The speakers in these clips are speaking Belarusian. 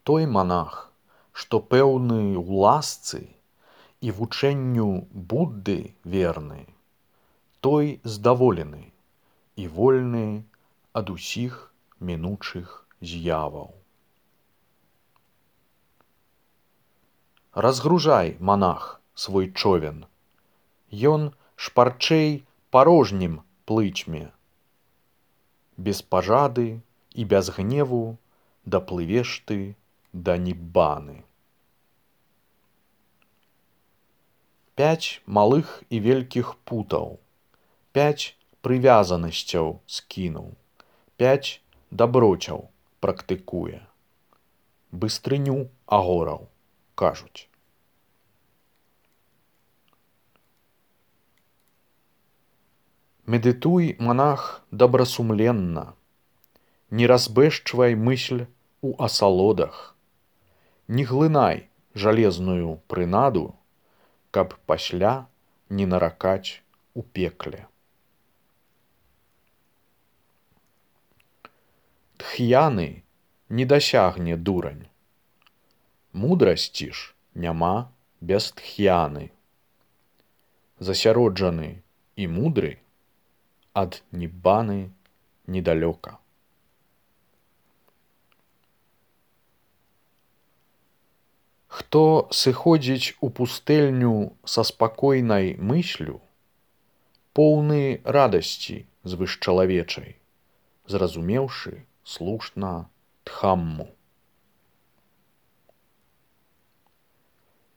Той манах, што пэўны ў ласцы і вучэнню Будды верны, той здаволены і вольны ад усіх мінучых з'яваў. Разгружай, манах, свой човен, ён шпарчэй парожнім плыцьме. Без пажады і без гневу даплывеш ты да ніббаны. 5 малых і вялікіх путаў, 5 прывязанасцяў скінуў, 5 даброцяў практыкуе. Быстрыню агораў, кажуць. Медытуй, манах, добрасумленна, не разбэшчвай мысль у асалодах, не глынай жалезную прынаду, каб пасля не наракаць у пекле. Тхьяны не дасягне дурань, мудрасці ж няма без тхьяны. Засяроджаны і мудры ад ніббаны недалёка. Хто сыходзіць у пустэльню са спакойнай мыслю, поўны радасці звышчалавечай, зразумеўшы слушна Дхамму.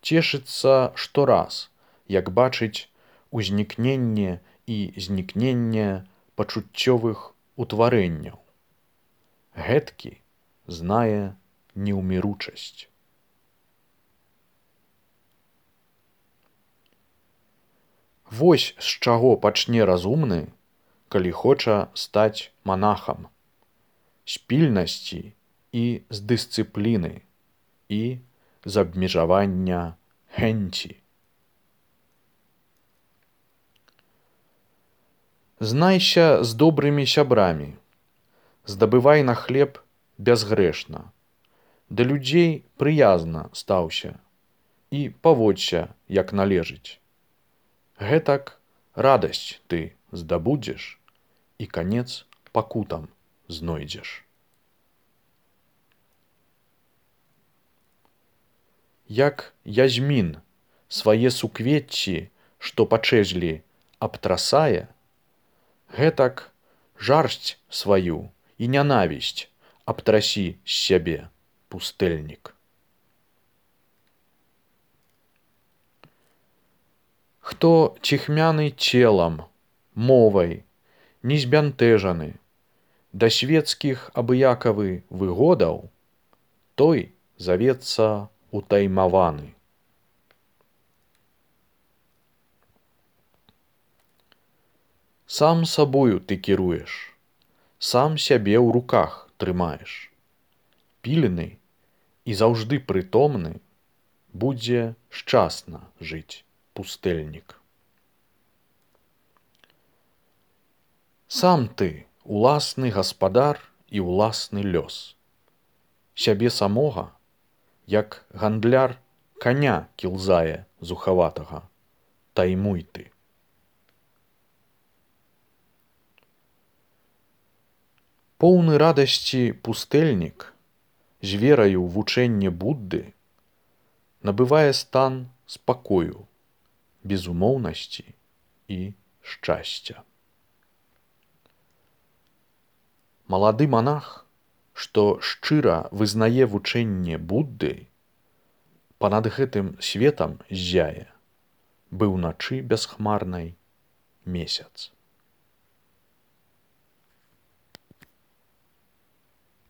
Цешыцца штораз, як бачыць узнікненне і знікненне пачуццёвых утварэнняў. Гэткі знае неўміручасць. Вось з чаго пачне разумны, калі хоча стаць манахам. З пільнасці і з дысцыпліны і з абмежавання хэнці. Знайся з добрымі сябрамі, здабывай на хлеб бязгрэшна, да людзей прыязна стаўся і паводься, як належыць. Гэтак радасць ты здабудзеш і канец пакутам знойдзеш. Як язьмін свае суквецці, што пачэзлі, абтрасае, гэтак жарсць сваю і нянавісць абтрасі з сябе, пустэльнік. Хто ціхмяны целам, мовай, не збянтэжаны, да свецкіх абыякавы выгодаў, той завецца утаймаваны. Сам сабою ты кіруеш, сам сябе ў руках трымаеш. Пільны і заўжды прытомны будзе шчасна жыць пустэльнік. Сам ты уласны гаспадар і ўласны лёс. Сябе самога, як гандляр каня кілзае зухаватага, таймуй ты. Поўны радасці пустэльнік, з вераю ў вучэнне Будды, набывае стан спакою, безумоўнасці і шчасця. Малады манах, што шчыра вызнае вучэнне Будды, панад гэтым светам ззяе, быў начы бясхмарнай месяц.